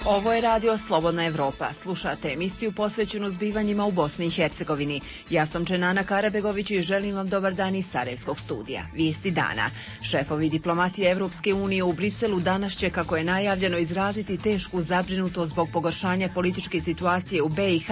Ovo je radio Slobodna Evropa. Slušate emisiju posvećenu zbivanjima u Bosni i Hercegovini. Ja sam Dženana Karabegović i želim vam dobar dan iz Sarajevskog studija. Vijesti dana. Šefovi diplomatije Evropske unije u Briselu danas će, kako je najavljeno, izraziti tešku zabrinutost zbog pogoršanja političke situacije u BiH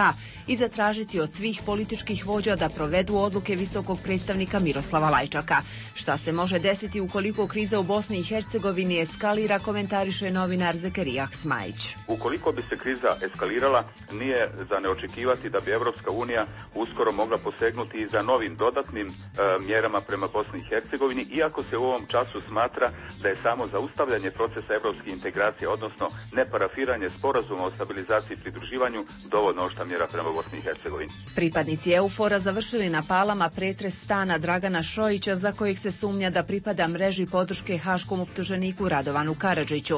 i zatražiti od svih političkih vođa da provedu odluke visokog predstavnika Miroslava Lajčaka. Šta se može desiti ukoliko kriza u Bosni i Hercegovini eskalira, komentariše novinar Zekerija Smajić. Ukoliko bi se kriza eskalirala, nije za neočekivati da bi Evropska unija uskoro mogla posegnuti i za novim dodatnim mjerama prema Bosni i Hercegovini, iako se u ovom času smatra da je samo zaustavljanje procesa evropske integracije, odnosno neparafiranje sporazuma o stabilizaciji i pridruživanju, dovoljno oštra mjera prema Bosni i Hercegovini. Pripadnici EUFOR-a završili na Palama pretres stana Dragana Šojića, za kojeg se sumnja da pripada mreži podrške haškom optuženiku Radovanu Karadžiću.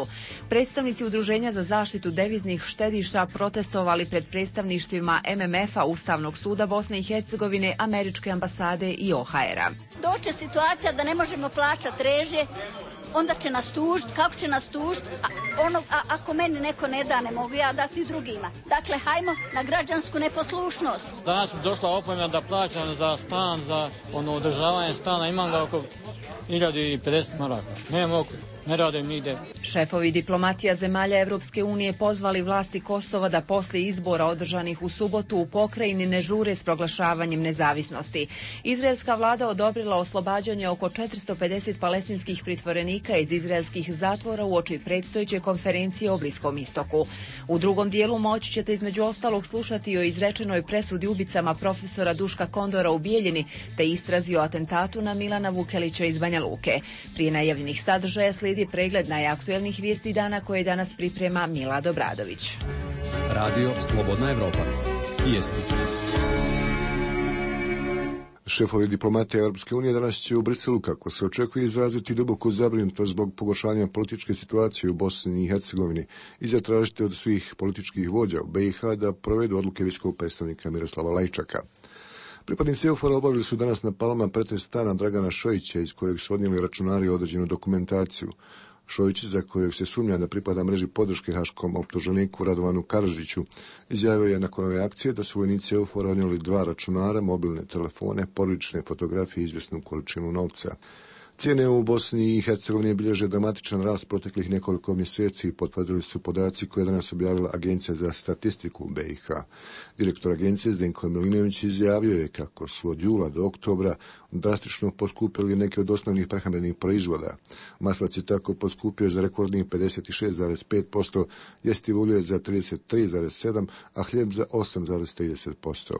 Predstavnici Udruženja za zaštitu deviznih štediša protestovali pred predstavništvima MMF-a, Ustavnog suda Bosne i Hercegovine, Američke ambasade i OHR-a. Doće situacija da ne možemo plaćati režije, onda će nas tužiti. Kako će nas tužiti? Ako meni neko ne da, ne mogu ja dati drugima. Dakle, hajmo na građansku neposlušnost. Danas mi došla opomena da plaćam za stan, za održavanje stana. Imam ga oko 1050 maraka. Ne mogu. Ne radim nigde. Šefovi diplomatija zemalja Evropske unije pozvali vlasti Kosova da poslije izbora održanih u subotu u pokrajini ne žure s proglašavanjem nezavisnosti. Izraelska vlada odobrila oslobađanje oko 450 palestinskih pritvorenika iz izraelskih zatvora uoči predstojeće konferencije o Bliskom istoku. U drugom dijelu moći ćete između ostalog slušati o izrečenoj presudi ubicama profesora Duška Kondora u Bijeljini te istrazi o atentatu na Milana Vukelića iz Banja Luke. Prije najavljenih sadržaja slijedi pregled najaktuelnih vijesti dana koje danas priprema Mila Dobradović. Radio Slobodna Evropa. Vijesti. Šefovi diplomatije Europske unije danas će u Briselu, kako se očekuje, izraziti duboku zabrinutost zbog pogoršanja političke situacije u Bosni i Hercegovini i zatražiti od svih političkih vođa u BiH da provedu odluke visokog predstavnika Miroslava Lajčaka. Pripadnici EUFOR-a obavili su danas na Palama pretres stana Dragana Šojića, iz kojeg su odnijeli računari određenu dokumentaciju. Šojić, za kojeg se sumnja da pripada mreži podrške haškom optuženiku Radovanu Karadžiću, izjavio je nakon ove akcije da su vojnici EUFOR-a odnijeli 2 računara, mobilne telefone, porodične fotografije i izvjesnu količinu novca. Cijene u Bosni i Hercegovini bilježe dramatičan rast proteklih nekoliko mjeseci, potvrdili su podaci koje je danas objavila Agencija za statistiku u BiH. Direktor agencije Zdenko Milinović izjavio je kako su od jula do oktobra drastično poskupili neke od osnovnih prehrambenih proizvoda. Maslac je tako poskupio za rekordnih 56,5%, jestivo ulje za 33,7%, a hljeb za 8,30%.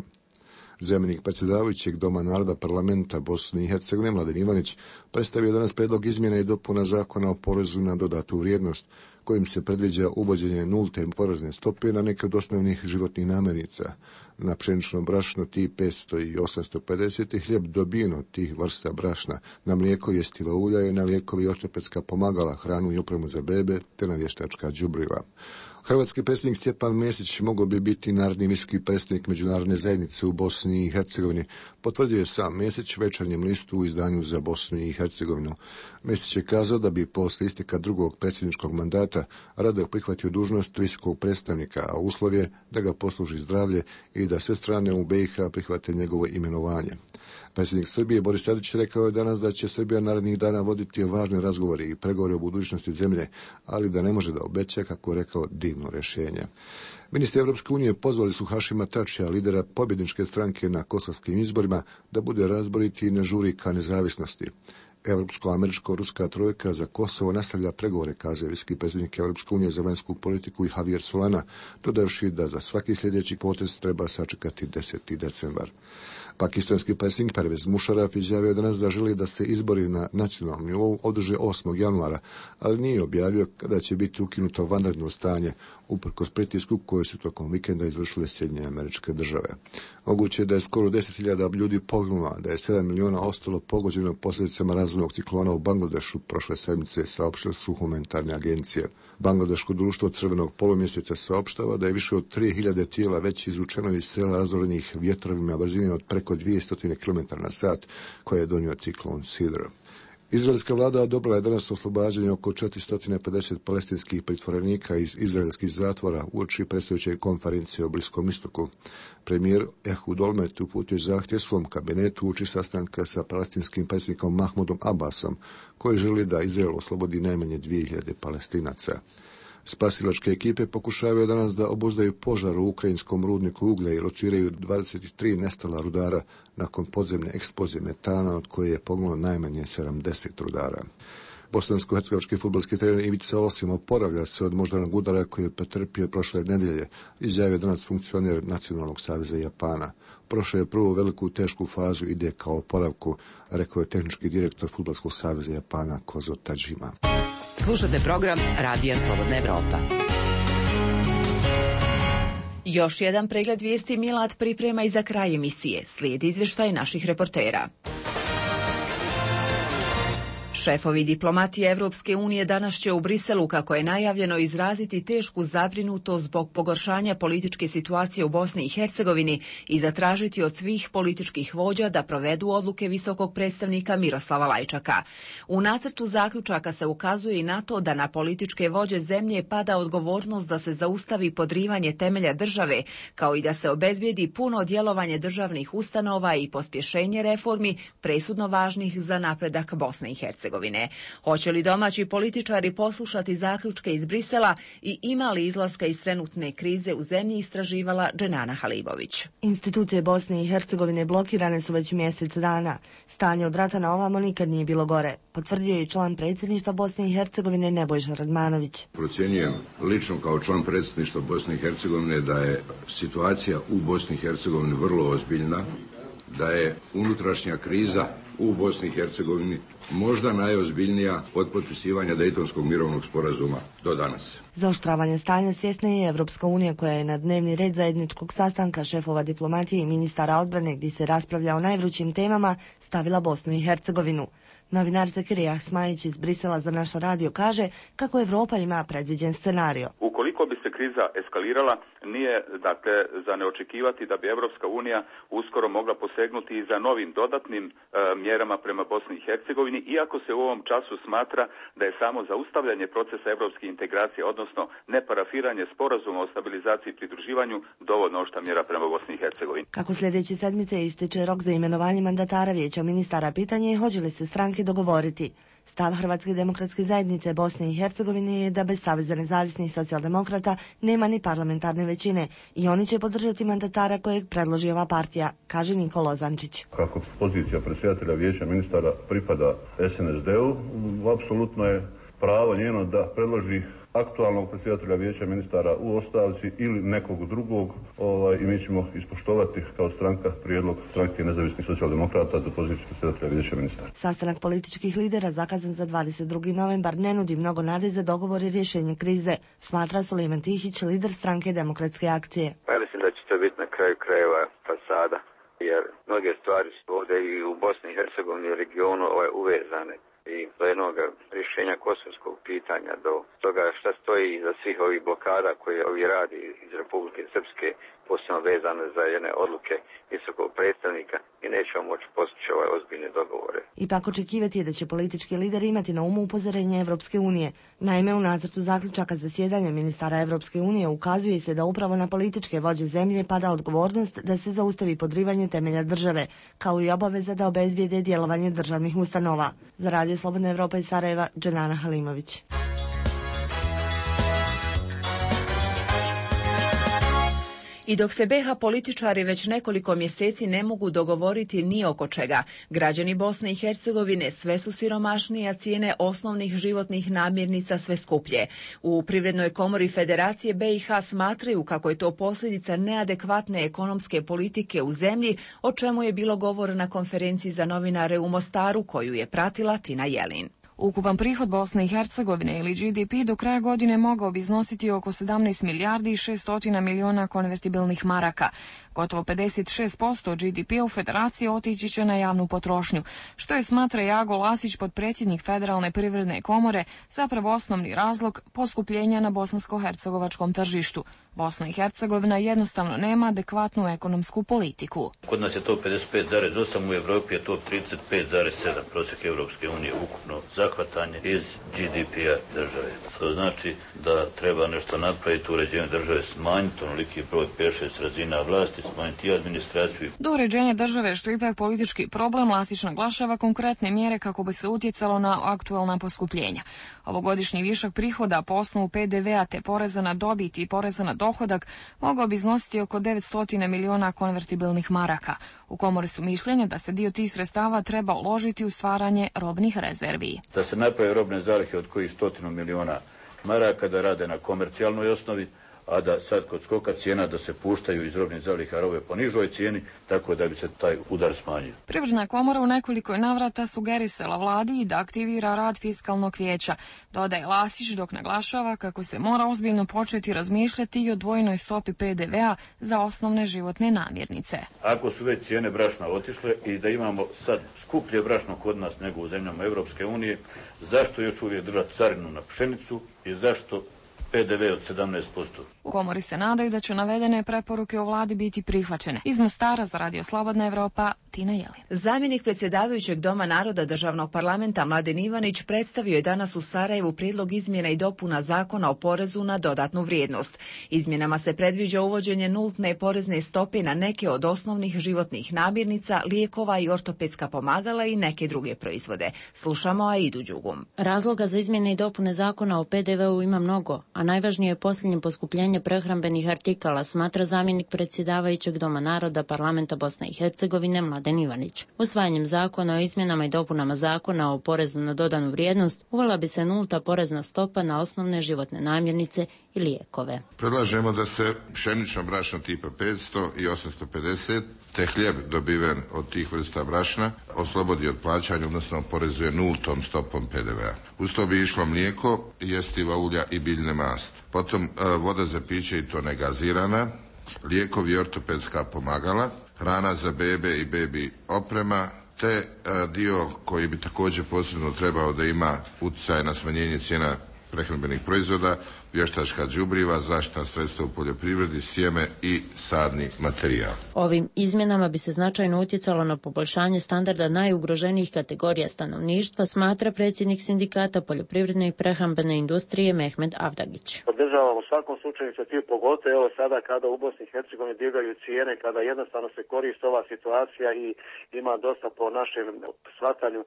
Zamjenik predsjedavajućeg Doma naroda parlamenta Bosne i Hercegovine Mladen Ivanić predstavio danas predlog izmjena i dopuna zakona o porezu na dodatu vrijednost, kojim se predviđa uvođenje nulte porezne stope na neke od osnovnih životnih namirnica. Na pšenično brašno tih 500 i 850 i hljeb dobijen od tih vrsta brašna, na mlijeko, jestiva ulja i na lijekovi i ortopedska pomagala, hranu i opremu za bebe te na vještačka đubriva. Hrvatski predsjednik Stjepan Mesić mogao bi biti naredni visoki predstavnik međunarodne zajednice u Bosni i Hercegovini, potvrdio je sam Mesić Večernjem listu u izdanju za Bosnu i Hercegovinu. Mesić je kazao da bi posle isteka drugog predsjedničkog mandata rado prihvatio dužnost visokog predstavnika, a uslov je da ga posluži zdravlje i da sve strane u BiH prihvate njegovo imenovanje. Predsjednik Srbije Boris Tadić rekao je danas da će Srbija narednih dana voditi važne razgovore i pregovore o budućnosti zemlje, ali da ne može da obeća, kako rekao, divno rješenje. Ministri Evropske unije pozvali su Hašima Tačija, lidera pobjedničke stranke na kosovskim izborima, da bude razboriti i ne žuri ka nezavisnosti. Evropsko-američko-ruska trojka za Kosovo nastavlja pregovore, kazao visoki predsjednik Evropske unije za vanjsku politiku i Javier Solana, dodavši da za svaki sljedeći potez treba sačekati 10. decembar. Pakistanski predsjednik Pervez Musharraf izjavio danas da želi da se izbori na nacionalnom nivou održe 8. januara, ali nije objavio kada će biti ukinuto vanredno stanje, uprkos pritisku koje su tokom vikenda izvršile Sjedinjene Američke Države. Moguće je da je skoro 10.000 ljudi poginulo, da je 7 miliona ostalo pogođeno posljedicama razvojnog ciklona u Bangladešu prošle sedmice, saopštile su humanitarne agencije. Bangladeško društvo Crvenog polumjeseca saopštava da je više od 3.000 tijela već izvučeno iz sela razorenih vjetrovima brzine od preko 200 km na sat koje je donio ciklon Sidr. Izraelska vlada odobrila je danas oslobađanje oko 450 palestinskih pritvorenika iz izraelskih zatvora uoči predstojeće konferencije o Bliskom istoku. Premijer Ehud Olmert uputio zahtjev svom kabinetu uoči sastanka sa palestinskim predsjednikom Mahmudom Abbasom, koji želi da Izrael oslobodi najmanje 2000 Palestinaca. Spasilačke ekipe pokušavaju danas da obuzdaju požar u ukrajinskom rudniku uglja i lociraju 23 nestala rudara nakon podzemne eksplozije metana, od koje je poginulo najmanje 70 rudara. Bosansko-hercegovački fudbalski trener Ivica Osim oporavlja se od moždanog udara koji je pretrpio prošle nedjelje, izjavio danas funkcioner Nacionalnog saveza Japana. Prošao je prvu veliku tešku fazu, ide kao oporavku, rekao je tehnički direktor Fudbalskog saveza Japana Kozo Tajima. Slušate program Radija Slobodna Evropa. Još jedan pregled vijesti Milad priprema i za kraj emisije. Slijedi izvještaj naših reportera. Šefovi diplomatije Evropske unije danas će u Briselu, kako je najavljeno, izraziti tešku zabrinutost zbog pogoršanja političke situacije u Bosni i Hercegovini i zatražiti od svih političkih vođa da provedu odluke visokog predstavnika Miroslava Lajčaka. U nacrtu zaključaka se ukazuje i na to da na političke vođe zemlje pada odgovornost da se zaustavi podrivanje temelja države, kao i da se obezbijedi puno djelovanje državnih ustanova i pospješenje reformi presudno važnih za napredak Bosne i Hercegovine. Hoće li domaći političari poslušati zaključke iz Brisela i ima li izlaska iz trenutne krize u zemlji, istraživala Dženana Halibović. Institucije Bosne i Hercegovine blokirane su već mjesec dana. Stanje od rata na ovamo nikad nije bilo gore, potvrdio je član predsjedništva Bosne i Hercegovine Nebojša Radmanović. Procjenjujem lično kao član predsjedništva Bosne i Hercegovine da je situacija u Bosni i Hercegovini vrlo ozbiljna, da je unutrašnja kriza u Bosni i Hercegovini možda najozbiljnija od potpisivanja Dejtonskog mirovnog sporazuma do danas. Zaoštravanje stanja svjesna je Evropska unija, koja je na dnevni red zajedničkog sastanka šefova diplomatije i ministara odbrane, gdje se raspravlja o najvrućim temama, stavila Bosnu i Hercegovinu. Novinar Zakirija Ahsmajić iz Brisela za naš radio kaže kako Evropa ima predviđen scenario. Ukoliko bi se kriza eskalirala, nije dakle za neočekivati da bi Evropska unija uskoro mogla posegnuti i za novim dodatnim mjerama prema Bosni i Hercegovini, iako se u ovom času smatra da je samo zaustavljanje procesa evropske integracije, odnosno neparafiranje sporazuma o stabilizaciji i pridruživanju, dovoljno oštra mjera prema Bosni i Hercegovini. Kako sljedeće sedmice ističe rok za imenovanje mandatara Vijeća ministara, pitanje je hoće li se stranke dogovoriti. Stav Hrvatske demokratske zajednice Bosne i Hercegovine je da bez Saveza nezavisnih socijaldemokrata nema ni parlamentarne većine i oni će podržati mandatara kojeg predloži ova partija, kaže Nikola Zančić. Kako pozicija predsjedatelja Vijeća ministara pripada SNSD-u, apsolutno je pravo njeno da predloži aktualnog predsjedatelja Vijeća ministara u ostavci ili nekog drugog i mi ćemo ispoštovati kao stranka prijedlog stranke nezavisnih socijaldemokrata za poziciju predsjedatelja Vijeća ministara. Sastanak političkih lidera zakazan za 22. novembar ne nudi mnogo nade za dogovor i rješenje krize, smatra Sulejman Tihić, lider stranke Demokratske akcije. Ja mislim da će to biti na kraju krajeva fasada, jer mnoge stvari su ovdje i u Bosni i Hercegovini i regionu uvezane. I do jednog rješenja kosovskog pitanja, do toga šta stoji iza svih ovih blokada koje ovi radi iz Republike Srpske, posebno vezane za jedne odluke visokog predstavnika, i nećemo moći postići ove ozbiljne dogovore. Ipak očekivati je da će politički lideri imati na umu upozorenje Evropske unije. Naime, u nacrtu zaključaka zasjedanja ministara Evropske unije ukazuje se da upravo na političke vođe zemlje pada odgovornost da se zaustavi podrivanje temelja države, kao i obaveza da obezbijede djelovanje državnih ustanova. Za Radio Slobodna Evropa iz Sarajeva, Dženana Halimović. I dok se BiH političari već nekoliko mjeseci ne mogu dogovoriti ni oko čega, građani Bosne i Hercegovine sve su siromašnije, a cijene osnovnih životnih namirnica sve skuplje. U Privrednoj komori Federacije BiH smatraju kako je to posljedica neadekvatne ekonomske politike u zemlji, o čemu je bilo govora na konferenciji za novinare u Mostaru, koju je pratila Tina Jelin. Ukupan prihod Bosne i Hercegovine ili GDP do kraja godine mogao bi iznositi oko 17 milijardi i 600 milijuna konvertibilnih maraka. Gotovo 56% GDP u Federaciji otići će na javnu potrošnju, što je, smatra Jago Lasić, potpredsjednik Federalne privredne komore, zapravo osnovni razlog poskupljenja na bosansko-hercegovačkom tržištu. Bosna i Hercegovina jednostavno nema adekvatnu ekonomsku politiku. Kod nas je to 55,8, u Evropi je to 35,7 prosjek Evropske unije ukupno zahvatanje iz GDP-a države. To znači da treba nešto napraviti u uređenju države, smanjiti onoliki broj 5-6 razina vlasti, smanjiti administraciju. Do uređenja države, što je ipak politički problem, Lasić naglašava konkretne mjere kako bi se utjecalo na aktuelna poskupljenja. Ovogodišnji višak prihoda po osnovu PDV-a te poreza na dobit i poreza na dohodak mogao bi iznositi oko 900 miliona konvertibilnih maraka. U komori su mišljenja da se dio tih sredstava treba uložiti u stvaranje robnih rezervi. Da se naprave robne zalihe od kojih 100 miliona maraka, da rade na komercijalnoj osnovi, a da sad kod skoka cijena da se puštaju iz robnih zaliha robe po nižoj cijeni, tako da bi se taj udar smanjio. Privredna komora u nekoliko navrata sugerisala vladi da aktivira rad fiskalnog vijeća, dodaje Lasić, dok naglašava kako se mora ozbiljno početi razmišljati i o dvojnoj stopi PDV-a za osnovne životne namirnice. Ako su već cijene brašna otišle i da imamo sad skuplje brašno kod nas nego u zemljama Evropske unije, zašto još uvijek držati carinu na pšenicu i zašto PDV od 17%. U komori se nadaju da će navedene preporuke o vladi biti prihvaćene. Iz Mostara za Radio Slobodna Evropa, Tina Jelin. Zamjenik predsjedavajućeg Doma naroda Državnog parlamenta Mladen Ivanić predstavio je danas u Sarajevu prijedlog izmjena i dopuna Zakona o porezu na dodatnu vrijednost. Izmjenama se predviđa uvođenje nultne porezne stope na neke od osnovnih životnih namirnica, lijekova i ortopedska pomagala i neke druge proizvode. Slušamo Aidu Đugum. Razloga za izmjene i dopune Zakona o PDV-u ima mnogo, a najvažnije je posljednje poskupljenje prehrambenih artikala, smatra zamjenik predsjedavajućeg Doma naroda Parlamenta Bosne i Hercegovine Mladen Ivanić. Usvajanjem zakona o izmjenama i dopunama Zakona o porezu na dodanu vrijednost uvela bi se nulta porezna stopa na osnovne životne namirnice i lijekove. Predlažemo da se pšenično brašno tipa 500 i 850 te hljeb dobiven od tih vrsta brašna oslobodi od plaćanja, odnosno oporezuje nultom stopom PDV-a. Uz to bi išlo mlijeko, jestiva ulja i biljne masti. Potom voda za piće i to negazirana, lijekovi i ortopedska pomagala, hrana za bebe i bebi oprema, te dio koji bi također posebno trebao da ima utjecaj na smanjenje cijena prehrambenih proizvoda, vještačka đubriva, zaštitna sredstva u poljoprivredi, sjeme i sadni materijal. Ovim izmjenama bi se značajno utjecalo na poboljšanje standarda najugroženijih kategorija stanovništva, smatra predsjednik sindikata poljoprivredne i prehrambene industrije Mehmed Avdagić. Podržavam u svakom slučaju inicijativu, pogotovo evo sada kada u Bosni i Hercegovini divljaju cijene, kada jednostavno se koristi ova situacija i ima dosta po našem shvatanju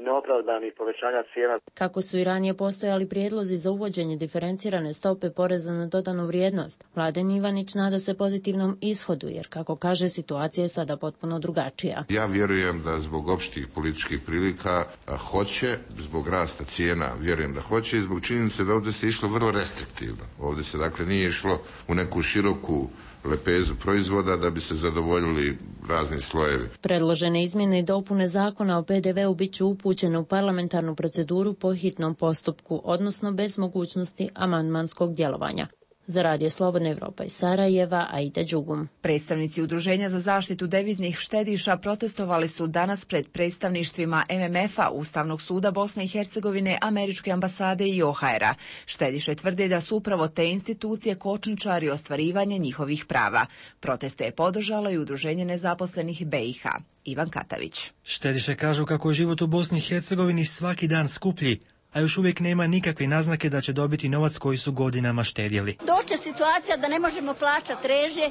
neopravdanih povećanja cijena. Kako su i ranije postojali prijedlozi za uvođenje diferencirane stope poreza na dodanu vrijednost, Mladen Ivanić nada se pozitivnom ishodu, jer kako kaže, situacija je sada potpuno drugačija. Ja vjerujem da zbog opštih političkih prilika hoće, zbog rasta cijena vjerujem da hoće i zbog činjenice da ovdje se išlo vrlo restriktivno. Ovdje se dakle nije išlo u neku široku lepezu proizvoda da bi se zadovoljili razni slojevi. Predložene izmjene i dopune Zakona o PDV-u bit će upućene u parlamentarnu proceduru po hitnom postupku, odnosno bez mogućnosti amandmanskog djelovanja. Za Radio Slobodna Evropa iz Sarajeva, Aida Đugum. Predstavnici Udruženja za zaštitu deviznih štediša protestovali su danas pred predstavništvima MMF-a, Ustavnog suda Bosne i Hercegovine, Američke ambasade i OHR-a. Štediše tvrde da su upravo te institucije kočničari ostvarivanja njihovih prava. Proteste je podržalo i Udruženje nezaposlenih BiH. Ivan Katavić. Štediše kažu kako je život u Bosni i Hercegovini svaki dan skuplji, a još uvijek nema nikakve naznake da će dobiti novac koji su godinama štedjeli. Doće situacija da ne možemo plaćati režije,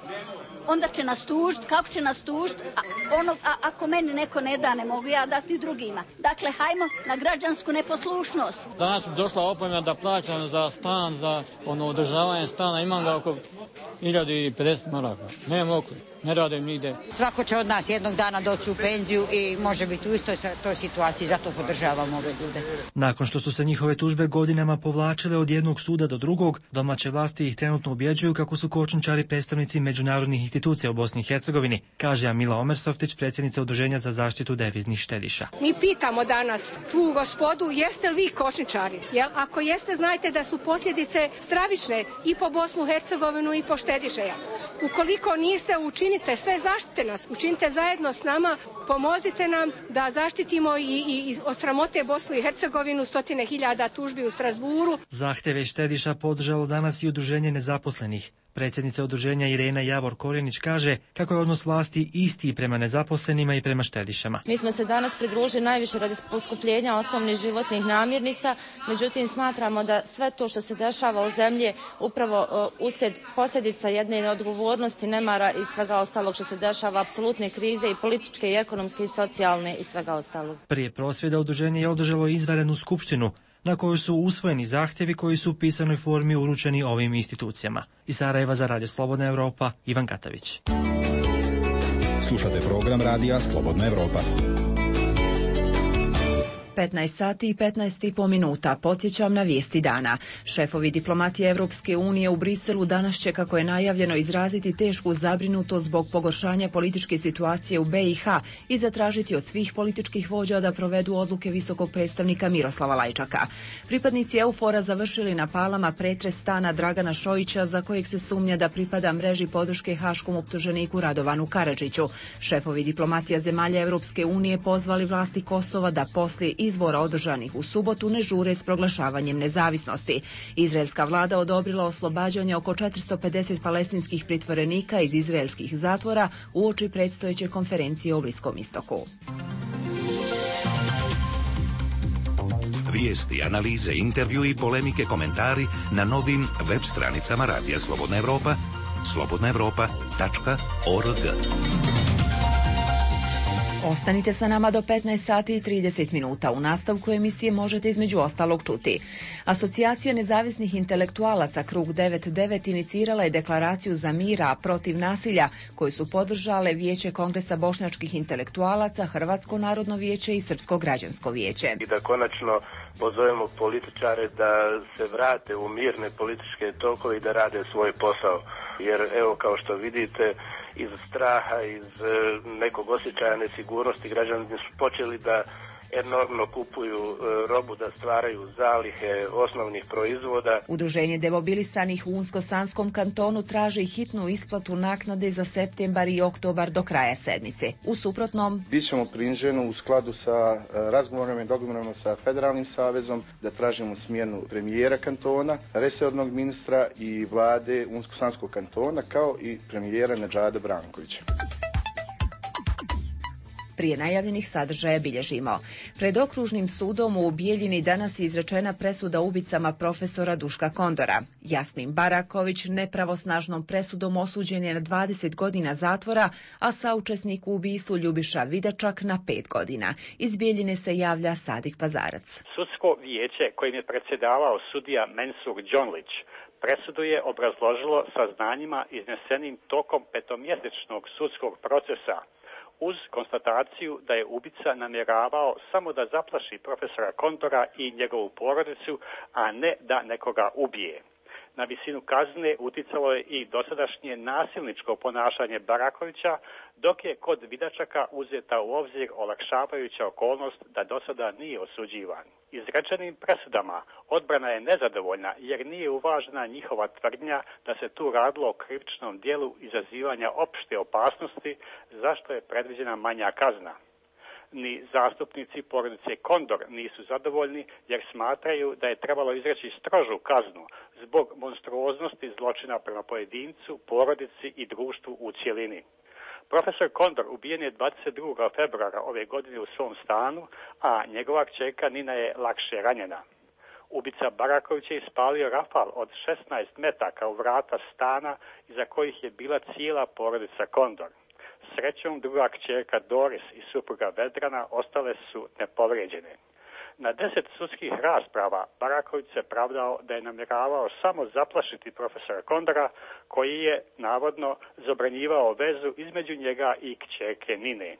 onda će nas tužiti. Kako će nas tužiti? Ako meni neko ne da, ne mogu ja dati drugima. Dakle, hajmo na građansku neposlušnost. Danas mi došla opomena da plaćam za stan, za održavanje stana, imam ga oko 1050 maraka. Nemam oko, ne radim nigde. Svako će od nas jednog dana doći u penziju i može biti u istoj toj situaciji, zato podržavam ove ljude. Nakon što su se njihove tužbe godinama povlačile od jednog suda do drugog, domaće vlasti ih trenutno ubjeđuju kako su kočničari predstavnici međunarodnih institucija u Bosni i Hercegovini, kaže Amila Omersoftić, predsjednica Udruženja za zaštitu deviznih štediša. Mi pitamo danas tu gospodu, jeste li vi kočničari? Jer ako jeste, znajte da su posljedice stravične i po Bosnu i Hercegovinu i po štedišeja. Ukoliko niste, učinite sve, zaštite nas, učinite zajedno s nama, pomozite nam da zaštitimo i od sramote Bosnu i Hercegovinu, 100.000 tužbi u Strasburu. Zahtjeve štediša podržalo danas i Udruženje nezaposlenih. Predsjednica udruženja Irena Javor Korjenić kaže kako je odnos vlasti isti prema nezaposlenima i prema štedišama. Mi smo se danas pridružili najviše radi poskupljenja osnovnih životnih namirnica, međutim smatramo da sve to što se dešava u zemlji upravo uslijed posljedica jedne neodgovornosti, nemara i svega ostalog što se dešava, apsolutne krize i političke i ekonomske i socijalne i svega ostalog. Prije prosvjeda udruženje je održalo izvanrednu skupštinu na kojoj su usvojeni zahtjevi koji su u pisanoj formi uručeni ovim institucijama. Iz Sarajeva za Radio Slobodna Evropa, Ivan Katavić. Slušate program Radija Slobodna Evropa. 15 sati i 15,5 minuta. Podsjećam na vijesti dana. Šefovi diplomatije Evropske unije u Briselu danas će, kako je najavljeno, izraziti tešku zabrinutost zbog pogoršanja političke situacije u BiH i zatražiti od svih političkih vođa da provedu odluke visokog predstavnika Miroslava Lajčaka. Pripadnici EUFOR-a završili na Palama pretres stana Dragana Šojića, za kojeg se sumnja da pripada mreži podrške haškom optuženiku Radovanu Karadžiću. Šefovi diplomatija zemalja Evropske unije pozvali vlasti Kosova da poslije izbora održanih u subotu ne žure s proglašavanjem nezavisnosti. Izraelska vlada odobrila oslobađanje oko 450 palestinskih pritvorenika iz izraelskih zatvora uoči predstojeće konferencije o Bliskom istoku. Vijesti, analize, intervju i polemike, komentari na novim web stranicama Radija Slobodna Evropa, slobodnaevropa.org. Ostanite sa nama do 15 sati i 30 minuta. U nastavku emisije možete između ostalog čuti. Asocijacija nezavisnih intelektualaca Krug 99 inicirala je deklaraciju za mira protiv nasilja koju su podržale Vijeće Kongresa bošnjačkih intelektualaca, Hrvatsko narodno vijeće i Srpsko građansko vijeće. I da konačno pozovemo političare da se vrate u mirne političke tokove i da rade svoj posao. Jer evo, kao što vidite, iz straha, iz nekog osjećaja nesigurnosti građani su počeli da enormno kupuju robu, da stvaraju zalihe osnovnih proizvoda. Udruženje demobilisanih u Unsko-Sanskom kantonu traži hitnu isplatu naknade za septembar i oktobar do kraja sedmice. U suprotnom, bićemo prinženi u skladu sa razgovorima i dogovorima sa Federalnim savezom da tražimo smjenu premijera kantona, resornog ministra i vlade Unsko-Sanskog kantona, kao i premijera Nedžada Brankovića. Prije najavljenih sadržaja bilježimo. Pred okružnim sudom u Bijeljini danas je izrečena presuda ubicama profesora Duška Kondora. Jasmin Baraković nepravosnažnom presudom osuđen je na 20 godina zatvora, a saučesnik u ubistvu Ljubiša Vidačak na 5 godina. Iz Bijeljine se javlja Sadik Pazarac. Sudsko vijeće kojim je predsjedavao sudija Mensur Đonlić presudu je obrazložilo saznanjima iznesenim tokom petomjesečnog sudskog procesa, uz konstataciju da je ubica namjeravao samo da zaplaši profesora Kondora i njegovu porodicu, a ne da nekoga ubije. Na visinu kazne uticalo je i dosadašnje nasilničko ponašanje Barakovića, dok je kod Vidačaka uzeta u obzir olakšavajuća okolnost da dosada nije osuđivan. Izrečenim presudama odbrana je nezadovoljna jer nije uvažena njihova tvrdnja da se tu radilo o krivičnom dijelu izazivanja opšte opasnosti, zašto je predviđena manja kazna. Ni zastupnici porodice Kondor nisu zadovoljni jer smatraju da je trebalo izreći strožu kaznu zbog monstruoznosti zločina prema pojedincu, porodici i društvu u cjelini. Profesor Kondor ubijen je 22. februara ove godine u svom stanu, a njegova kćerka Nina je lakše ranjena. Ubica Baraković je ispalio rafal od 16 metaka u vrata stana iza kojih je bila cijela porodica Kondor. Srećom, druga kćerka Doris i supruga Vedrana ostale su nepovrijeđene. Na 10 sudskih rasprava Baraković se pravdao da je namjeravao samo zaplašiti profesora Kondora, koji je navodno zabranjivao vezu između njega i kćerke Nine.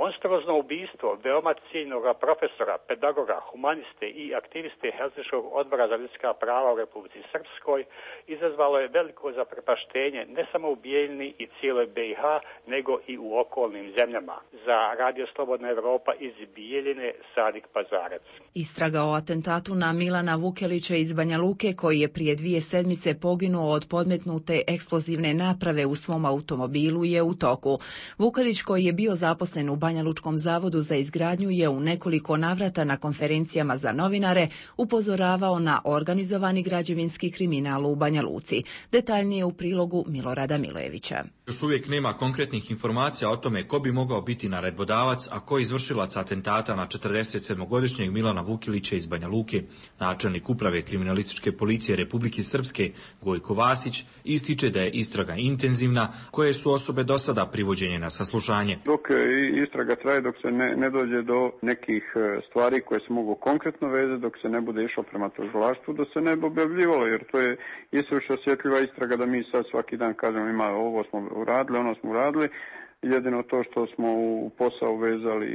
Monstruozno ubistvo veoma cijenjenog profesora, pedagoga, humaniste i aktiviste Helsinškog odbora za ljudska prava u Republici Srpskoj izazvalo je veliko zaprepaštenje ne samo u Bijeljini i cijeloj BiH, nego i u okolnim zemljama. Za Radio Slobodna Evropa iz Bijeljine, Sadik Pazarac. Istraga o atentatu na Milana Vukelića iz Banja Luke, koji je prije 2 sedmice poginuo od podmetnute eksplozivne naprave u svom automobilu, je u toku. Vukelić, koji je bio zaposlen u Banja Lučkom zavodu za izgradnju je u nekoliko navrata na konferencijama za novinare upozoravao na organizovani građevinski kriminal u Banja Luci. Detaljnije u prilogu Milorada Milojevića. Još uvijek nema konkretnih informacija o tome ko bi mogao biti naredbodavac, a ko izvršilac atentata na 47-godišnjeg Milana Vukilića iz Banja Luke. Načelnik uprave kriminalističke policije Republike Srpske Gojko Vasić ističe da je istraga intenzivna, koje su osobe do sada privođenje na saslušanje. Dok istraga traje, dok se ne dođe do nekih stvari koje se mogu konkretno vezati, dok se ne bude išlo prema tužilaštvu, da se ne bi objavljivalo, jer to je isuviše osjetljiva istraga da mi sad svaki dan kažemo ima ovo smo uradili, ono smo uradili. Jedino to što smo u posao vezali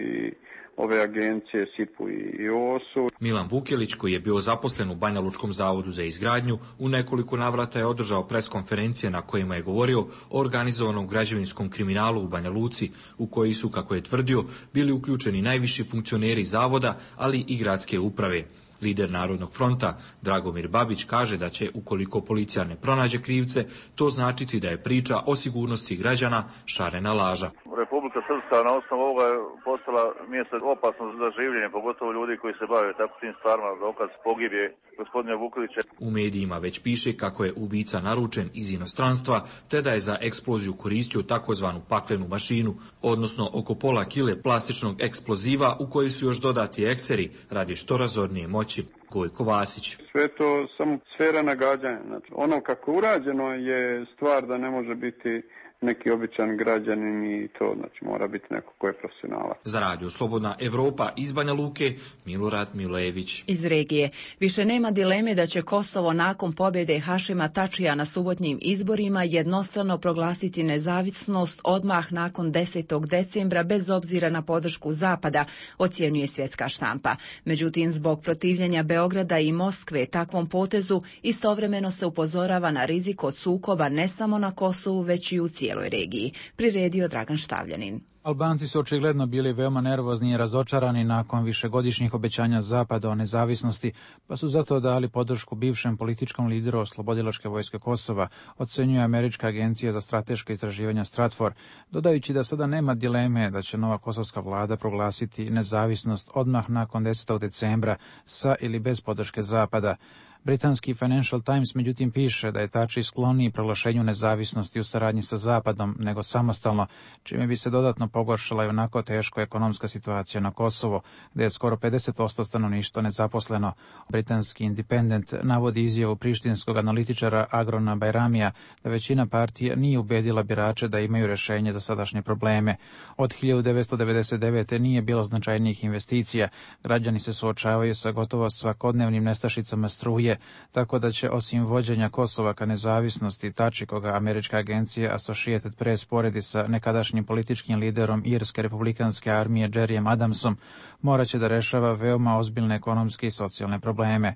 ove agencije SIP-u i OOS-u. Milan Vukilić, koji je bio zaposlen u Banja Lučkom zavodu za izgradnju, u nekoliko navrata je održao preskonferencije na kojima je govorio o organizovanom građevinskom kriminalu u Banja Luci, u koji su, kako je tvrdio, bili uključeni najviši funkcioneri zavoda, ali i gradske uprave. Lider Narodnog fronta Dragomir Babić kaže da će, ukoliko policija ne pronađe krivce, to značiti da je priča o sigurnosti građana šarena laža. Republika Srpska na osnovu ovoga je postala mjesto opasno za življenje, pogotovo ljudi koji se bave tako tim stvarima, dokaz pogibje gospodina Vukilića. U medijima već piše kako je ubica naručen iz inostranstva, te da je za eksploziju koristio takozvanu paklenu mašinu, odnosno oko pola kile plastičnog eksploziva u koji su još dodati ekseri radi što razornije moći. Gojko Vasić. Sve to samo sfera nagađanja. Znači, ono kako urađeno je stvar da ne može biti neki običan građanin i to, znači mora biti neko ko je profesionalac. Za Radio Slobodna Evropa iz Banja Luke, Milorad Milojević. Iz regije. Više nema dileme da će Kosovo nakon pobjede Hašima Tačija na subotnjim izborima jednostrano proglasiti nezavisnost odmah nakon 10. decembra bez obzira na podršku Zapada, ocjenjuje svjetska štampa. Međutim, zbog protivljenja Beograda i Moskve takvom potezu istovremeno se upozorava na rizik od sukoba ne samo na Kosovu, već i u cijeloj regiji. Priredio Dragan Štavljanin. Albanci su očigledno bili veoma nervozni i razočarani nakon višegodišnjih obećanja Zapada o nezavisnosti, pa su zato dali podršku bivšem političkom lideru Oslobodilačke vojske Kosova, ocenjuje Američka agencija za strateška istraživanja Stratfor, dodajući da sada nema dileme da će nova kosovska vlada proglasiti nezavisnost odmah nakon 10. decembra sa ili bez podrške Zapada. Britanski Financial Times međutim piše da je Tači skloniji proglašenju nezavisnosti u saradnji sa Zapadom nego samostalno, čime bi se dodatno pogoršala i onako teško ekonomska situacija na Kosovo, gdje je skoro 50% stanovništva nezaposleno. Britanski Independent navodi izjavu prištinskog analitičara Agrona Bajramija da većina partija nije ubedila birače da imaju rješenje za sadašnje probleme. Od 1999. nije bilo značajnijih investicija, građani se suočavaju sa gotovo svakodnevnim nestašicama struje, tako da će osim vođenja Kosova ka nezavisnosti Tači, koga američka agencija Associated Press poredi sa nekadašnjim političkim liderom Irske republikanske armije Jerryjem Adamsom, morat će da rešava veoma ozbiljne ekonomske i socijalne probleme.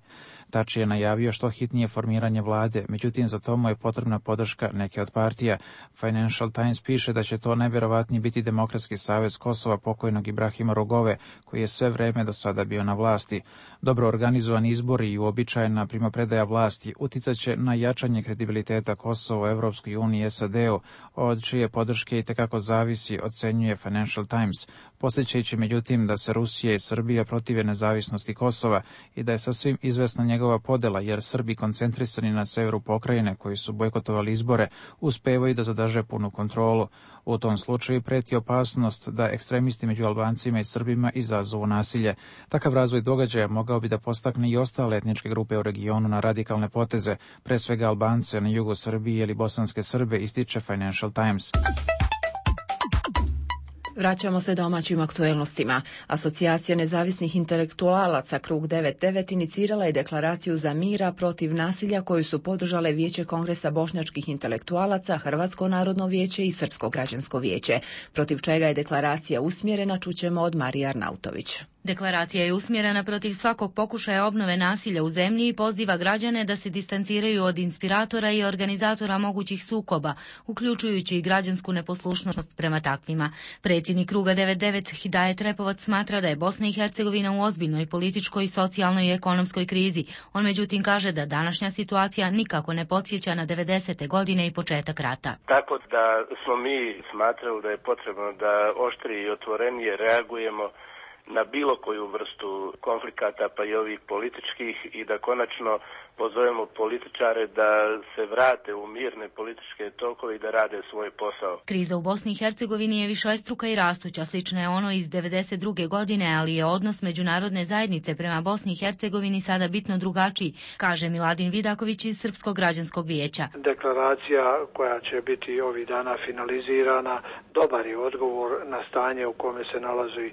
Tači je najavio što hitnije formiranje vlade, međutim za to mu je potrebna podrška neke od partija. Financial Times piše da će to najvjerovatnije biti Demokratski savez Kosova pokojnog Ibrahima Rugove, koji je sve vreme do sada bio na vlasti. Dobro organizovani izbori i uobičajena primopredaja vlasti uticat će na jačanje kredibiliteta Kosova u Evropskoj uniji i SAD-u, od čije podrške i tekako zavisi, ocenjuje Financial Times, podsjećajući međutim da se Rusija i Srbija protive nezavisnosti Kosova i da je sasvim izvesna njegova podela, jer Srbi koncentrisani na severu pokrajine koji su bojkotovali izbore uspevaju da zadrže punu kontrolu. U tom slučaju preti opasnost da ekstremisti među Albancima i Srbima izazovu nasilje. Takav razvoj događaja mogao bi da postakne i ostale etničke grupe u regionu na radikalne poteze, pre svega Albance na jugu Srbije ili bosanske Srbe, ističe Financial Times. Vraćamo se domaćim aktuelnostima. Asocijacija nezavisnih intelektualaca Krug 99 inicirala je deklaraciju za mira protiv nasilja koju su podržale Vijeće Kongresa bošnjačkih intelektualaca, Hrvatsko narodno vijeće i Srpsko građansko vijeće. Protiv čega je deklaracija usmjerena, čućemo od Marije Arnautović. Deklaracija je usmjerena protiv svakog pokušaja obnove nasilja u zemlji i poziva građane da se distanciraju od inspiratora i organizatora mogućih sukoba, uključujući i građansku neposlušnost prema takvima. Predsjednik Kruga 99 Hidajet Repovac smatra da je Bosna i Hercegovina u ozbiljnoj političkoj, socijalnoj i ekonomskoj krizi. On međutim kaže da današnja situacija nikako ne podsjeća na 90. godine i početak rata. Tako da smo mi smatrali da je potrebno da oštrije i otvorenije reagujemo na bilo koju vrstu konflikata, pa i ovih političkih, i da konačno pozovemo političare da se vrate u mirne političke tokove i da rade svoj posao. Kriza u Bosni i Hercegovini je višestruka i rastuća, slična je ono iz 92. godine, ali je odnos međunarodne zajednice prema Bosni i Hercegovini sada bitno drugačiji, kaže Miladin Vidaković iz Srpskog građanskog vijeća. Deklaracija koja će biti ovih dana finalizirana dobar je odgovor na stanje u kome se nalazi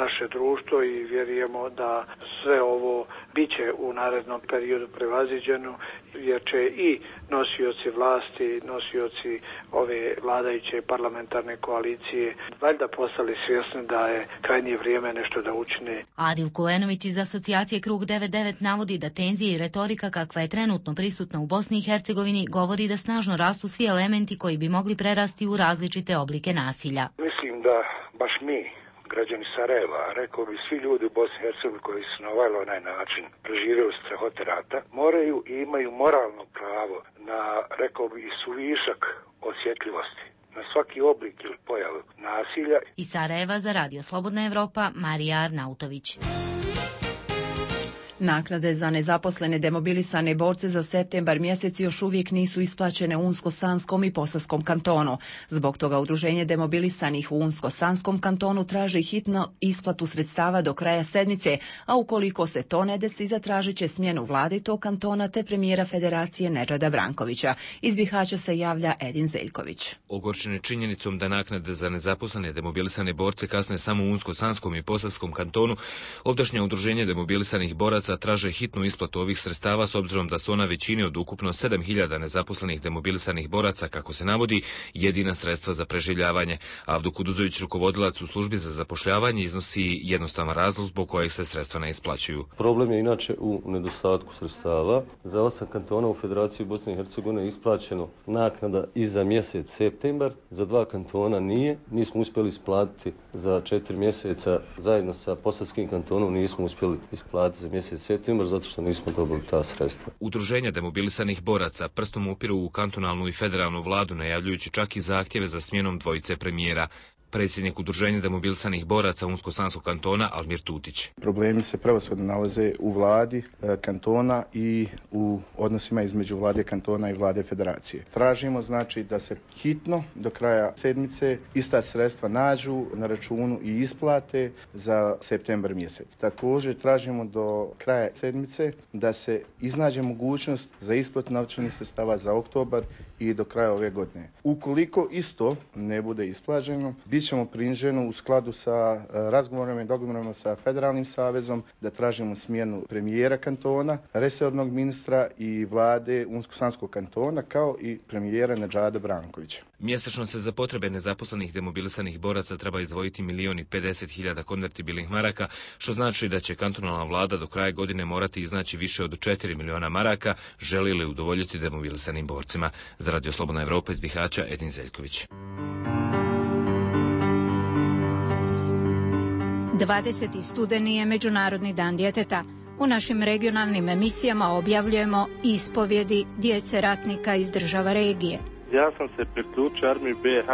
naše društvo i vjerujemo da sve ovo biće u narednom periodu prevaziđeno, jer će i nosioci vlasti, nosioci ove vladajuće parlamentarne koalicije valjda postali svjesni da je krajnje vrijeme nešto da učine. Adil Kulenović iz asocijacije Krug 99 navodi da tenzije i retorika kakva je trenutno prisutna u Bosni i Hercegovini govori da snažno rastu svi elementi koji bi mogli prerasti u različite oblike nasilja. Mislim da baš mi, građani Sarajeva, rekao bi svi ljudi u Bosni i Hercegovini koji su na ovaj onaj način preživjeli strahote rata, moraju i imaju moralno pravo na, rekao bi, suvišak osjetljivosti na svaki oblik ili pojavu nasilja. Iz Sarajeva za Radio Slobodna Evropa, Marija Arnautović. Naknade za nezaposlene demobilisane borce za septembar mjesec još uvijek nisu isplaćene u Unsko-Sanskom i Posavskom kantonu. Zbog toga Udruženje demobilisanih u Unsko-Sanskom kantonu traži hitno isplatu sredstava do kraja sedmice, a ukoliko se to ne desi, zatražit će smjenu vlade tog kantona te premijera Federacije Nedžada Brankovića. Iz Bihaća se javlja Edin Zeljković. Ogorčeni činjenicom da naknade za nezaposlene demobilisane borce kasne samo u Unsko-Sanskom i Posavskom kantonu, ovdašnje Udruženje demobilisanih boraca traže hitnu isplatu ovih sredstava s obzirom da su ona većini od ukupno 7.000 nezaposlenih demobilisanih boraca, kako se navodi, jedina sredstva za preživljavanje. Avdo Kuduzović, rukovodilac u službi za zapošljavanje, iznosi jednostavan razlog zbog kojeg se sredstva ne isplaćuju. Problem je inače u nedostatku sredstava. Za 8 kantona u Federaciji Bosne i Hercegovine je isplaćeno naknada i za mjesec septembar, za 2 kantona nije. Nismo uspjeli isplatiti za 4 mjeseca, zajedno sa Posavskim kantonom nismo uspjeli isplatiti za mjesec septembar zato što nismo dobili ta sredstva. Udruženja demobilisanih boraca prstom upiru u kantonalnu i federalnu vladu, najavljujući čak i zahtjeve za smjenom dvojice premijera. Predsjednik Udruženja demobilisanih boraca Unsko-Sanskog kantona Almir Tutić. Problemi se prevashodno nalaze u vladi kantona i u odnosima između vlade kantona i vlade federacije. Tražimo znači da se hitno do kraja sedmice ista sredstva nađu na računu i isplate za septembar mjesec. Također tražimo do kraja sedmice da se iznađe mogućnost za isplatu novčanih sredstava za oktobar i do kraja ove godine. Ukoliko isto ne bude isplaćeno, bit ćemo prinženi u skladu sa razgovorima i dogovorima sa Federalnim savezom da tražimo smjenu premijera kantona, resornog ministra i vlade Unsko-Sanskog kantona, kao i premijera Nedžada Brankovića. Mjesečno se za potrebe nezaposlenih demobilisanih boraca treba izdvojiti 1.050.000 konvertibilnih maraka, što znači da će kantonalna vlada do kraja godine morati iznaći više od 4 miliona maraka, želi li udovoljiti demobilisanim borcima. Za Radio Slobodna Evropa iz Bihaća, Edin Zeljković. 20. studeni je Međunarodni dan djeteta. U našim regionalnim emisijama objavljujemo ispovjedi djece ratnika iz država regije. Ja sam se priključio armiji BiH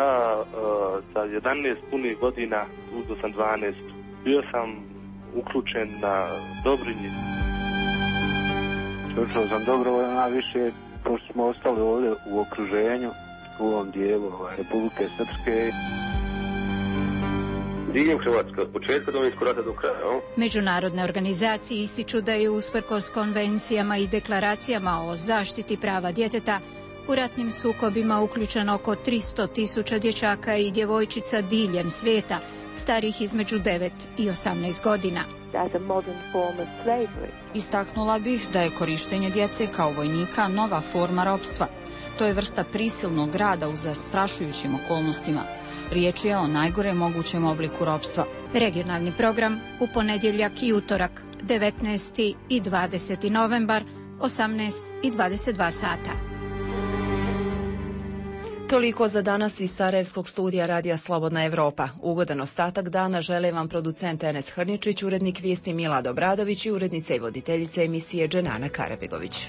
sa 11 punih godina, uzeo sam 12. Bio sam uključen na Dobrinji. Slušao sam dobrovoljno najviše, pošto smo ostali ovdje u okruženju, u ovom dijelu Republike Srpske. Diljem Hrvatske, od početka Domovinskog rata do kraja. Međunarodne organizacije ističu da je usprkos konvencijama i deklaracijama o zaštiti prava djeteta u ratnim sukobima uključeno oko 300.000 dječaka i djevojčica diljem svijeta, starih između 9 i 18 godina. Istaknula bih da je korištenje djece kao vojnika nova forma ropstva. To je vrsta prisilnog rada u zastrašujućim okolnostima. Riječ je o najgore mogućem obliku ropstva. Regionalni program u ponedjeljak i utorak, 19. i 20. novembar, 18 i 22 sata. Toliko za danas iz Sarajevskog studija Radija Slobodna Evropa. Ugodan ostatak dana žele vam producent Enes Hrničić, urednik vijesti Milad Obradović i urednica i voditeljica emisije Dženana Karabegović.